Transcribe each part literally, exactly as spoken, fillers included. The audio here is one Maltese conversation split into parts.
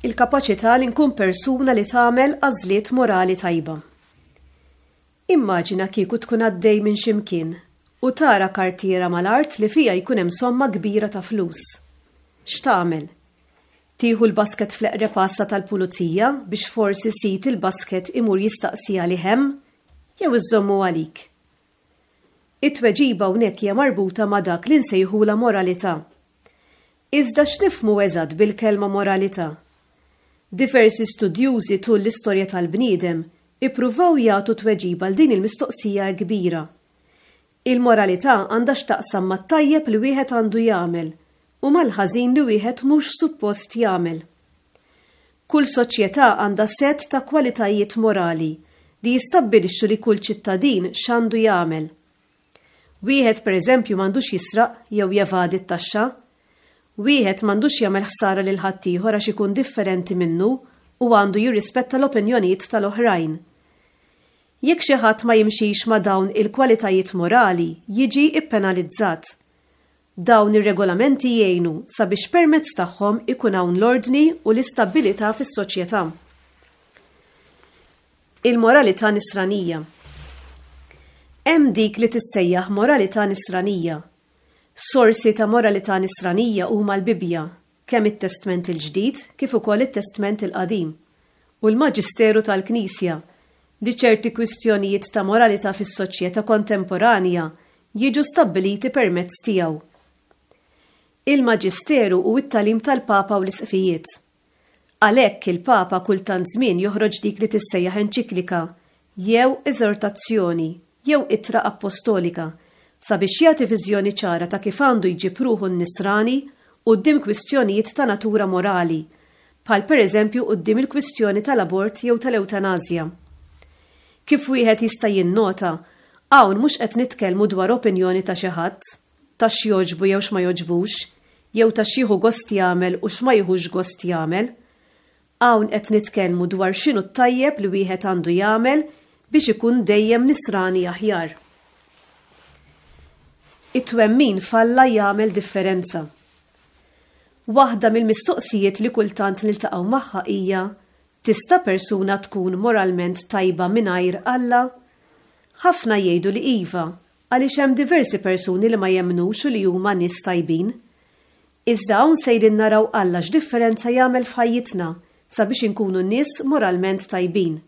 Il-kapaċità li nkun persuna li tagħmel għażliet morali tajba. Immaġina kieku tkun għaddej minn x'imkien u tara kartiera mal-art li fiha jkun hemm somma kbira ta' flus. X'tagħmel? Tieħu l-basket fl-eqreb għassa tal-pulizija biex forsi sid il-basket imur jistaqsi għalih hemm jew iżommu għalik? It-tweġiba hawnhekk hija marbuta ma' dak li nsejħula moralità. Iżda x'nifhmu eżatt bil-kelma moralità? Diversi studjużi tul l-istorja tal-bniedem ippruvaw jagħtu tweġiba għal din il-mistoqsija kbira. Il-moralità għandha x'taqsam mat-tajjeb li wieħed għandu jagħmel u mal-ħażin li wieħed mhux suppost jagħmel. Kull soċjetà għandha sett ta' kwalitajiet morali li jistabbilixxu li kull ċittadin x'għandu jagħmel. Wieħed pereżempju m'għandux jisraq jew jevadi t-taxxa. Wieħed m'għandux jagħmel ħsara lil ħaddieħor għax ikun differenti minnu u għandu jirrispetta l-opinjonijiet tal-oħrajn. Jekk xi ħadd ma jimxix ma' dawn il-kwalitajiet morali, jiġi ppenalizzat. Dawn ir-regolamenti jgħinu sabiex permezz tagħhom ikun hawn l-ordni u l-istabbilità fis-soċjetà. Il-moralità nisranija. Hemm dik li tissejjaħ moralità nisranija. Sorsi ta' moralità nisranija huma l-Bibbja, kemm it-Testment il-Ġdid kif ukoll it-Testment il-Qadim, u l-Maġisteru tal-Knisja, li ċerti kwistjonijiet ta' moralità fis-soċjetà kontemporanja jiġu stabbiliti permezz tiegħu. Il-Maġisteru u t-tagħlim tal-Papa u l-Isqfijiet. Għalhekk il-Papa kultant żmien joħroġ dik li tissejjaħ enċiklika jew eżortazzjoni jew ittra apostolika sabiex jagħti viżjoni ċara ta' kif għandu jġib ruħu n-nisrani quddiem kwistjonijiet ta' natura morali, bħal pereżempju quddiem il-kwistjoni tal-abort jew tal-ewtanasja. Kif wieħed jista' jinnota, hawn mhux qed nitkellmu dwar opinjoni ta' xi ħadd, ta' x'jogħġbu jew x'ma jogħġbux, jew ta' x'jieħu gost jagħmel u x'ma jieħux gost jagħmel. Hawn qed nitkellmu dwar x'inhu t-tajjeb li wieħed għandu jagħmel biex ikun dejjem nisrani aħjar. It-twemmin f'Alla jagħmel differenza. Waħda mill-mistoqsijiet li kultant niltaqgħu magħha hija: tista' persuna tkun moralment tajba mingħajr Alla? Ħafna jgħidu li iva, għaliex hemm diversi persuni li ma jemmnux u li huma nies tajbin. Iżda hawn sejrin naraw Alla x'differenza jagħmel f'ħajjitna sabiex inkunu nies moralment tajbin.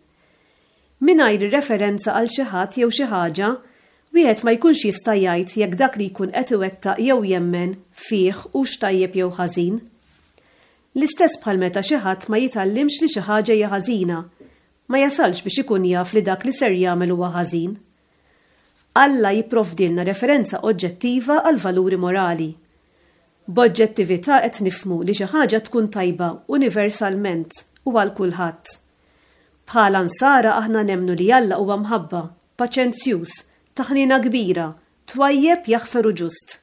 Mingħajr referenza għal xi ħadd jew xi ħaġa, wieħed ma jkunx jista' jgħid jekk dak li jkun qed iwettaq jew jemmen fih hux tajjeb jew ħażin. L-istess bħal meta xi ħadd ma jitgħallimx li xi ħaġa hija ħażina, ma jasalx biex ikun jaf li dak li ser jagħmel huwa ħażin. Alla jipprovdilna referenza oġġettiva għal valuri morali. B'oġġettività qed nifhmu li xi ħaġa tkun tajba universalment u għal kulħadd. Bħala nsara aħna nemmnu li Alla huwa mħabba, paċenzjuż, ta' ħniena kbira, twajjeb, jaħfer u ġust.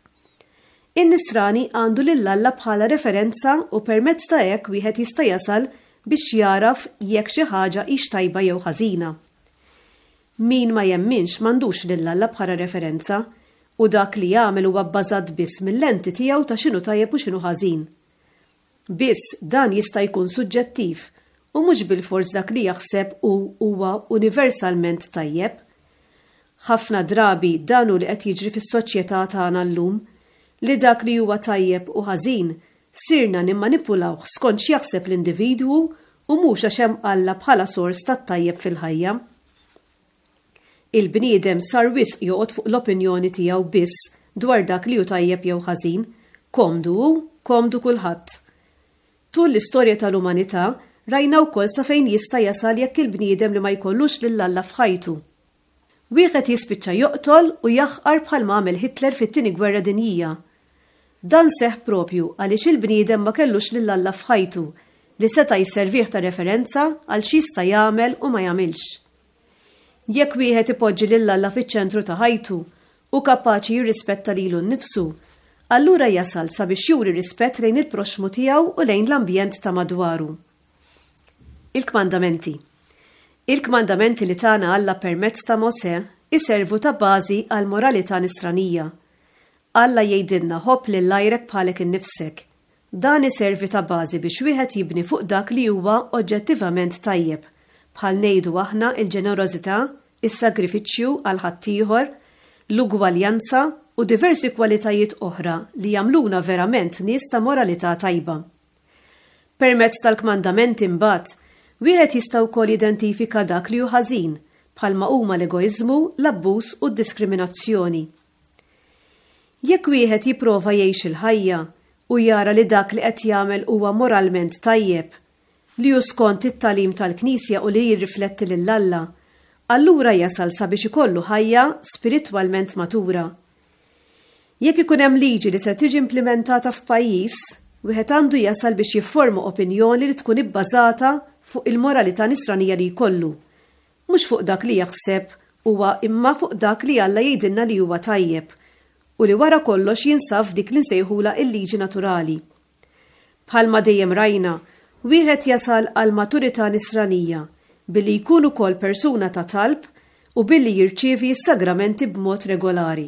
In-nisrani għandu lil Alla bħala referenza u permezz ta' hekk wieħed jista' jasal biex jaraf jekk xi ħaġa hix tajba jew ħażina. Min ma jemminx m'għandux lil Alla bħala referenza u dak li jagħmel huwa bbażat biss mill-lenti tiegħu ta' x'inhu tajjeb u x'inhu ħażin. Biss dan jista' jkun suġġettiv u mhux bilfors dak li jaħseb u huwa universalment tajjeb. Ħafna drabi dan hu li qed jiġri fis-soċjetà tagħna llum, li dak li huwa tajjeb u ħażin sirna nimmanipulawh skont x'jaħseb l-individwu u mhux għax hemm Alla bħala sors tat-tajjeb fil-ħajja. Il-bniedem sar wisq joqgħod fuq l-opinjoni tiegħu biss dwar dak li hu tajjeb jew ħażin, komdu hu, komdu kulħadd. Tul l-istorja tal-umanità rajna wkoll sa fejn jista' jasal jekk il-bniedem li ma jkollux lil Alla f'ħajtu. Wieħed jispiċċa joqtol u jaħqar bħalma għamel Hitler fit-Tieni Gwerra Dinjija. Dan seħħ propju għaliex il-bniedem ma kellux lil Alla f'ħajtu li seta' jservih ta' referenza għal x'jista' jagħmel u ma jagħmilx. Jekk wieħed ipoġġi lil Alla fiċ-ċentru ta' ħajtu u kapaċi jirrispetta lilu nnifsu, allura jasal sabiex juri rispett lejn il-proxxmu tiegħu u lejn l-ambjent ta' madwaru. Il-kmandamenti. Il-kmandamenti li tana Alla permezz ta' Mosè iservu ta' bażi għal moralità nisranija. Alla jgħidilna ħobb lil għajrek bħalek innifsek. Dan iservi ta' bażi biex wieħed jibni fuq dak li huwa oġġettivament tajjeb, bħal ngħidu aħna il-ġenerożità, is-sagrifiċċju għal ħaddieħor, l-ugwaljanza u diversi kwalitajiet oħra li jagħmluna verament nies ta' moralità tajba. Permezz tal-kmandamenti mbagħad, wieħed jista' wkoll jidentifika dak li hu ħażin, bħalma huma l-egoiżmu, l-abbuż u d-diskriminazzjoni. Jekk wieħed jipprova jgħix il-ħajja u jara li dak li qed jagħmel huwa moralment tajjeb, li hu skont it-tagħlim tal-Knisja u li jirrifletti lil Alla, allura jasal sabiex ikollu ħajja spiritwalment matura. Jekk ikun hemm liġi li se tiġi implementata f'pajjiż, wieħed għandu jasal biex jifforma opinjoni li tkun ibbażata fuq il-moralità nisranija li jkollu, mhux fuq dak li jaħseb huwa imma fuq dak li Alla jgħidilna li huwa tajjeb u li wara kollox jinsab f'dik li nsejħula il-liġi naturali. Bħalma dejjem rajna, wieħed jasal għal maturità nisranija billi jkun ukoll persuna ta' talb u billi jirċievi s-sagramenti b'mod regolari.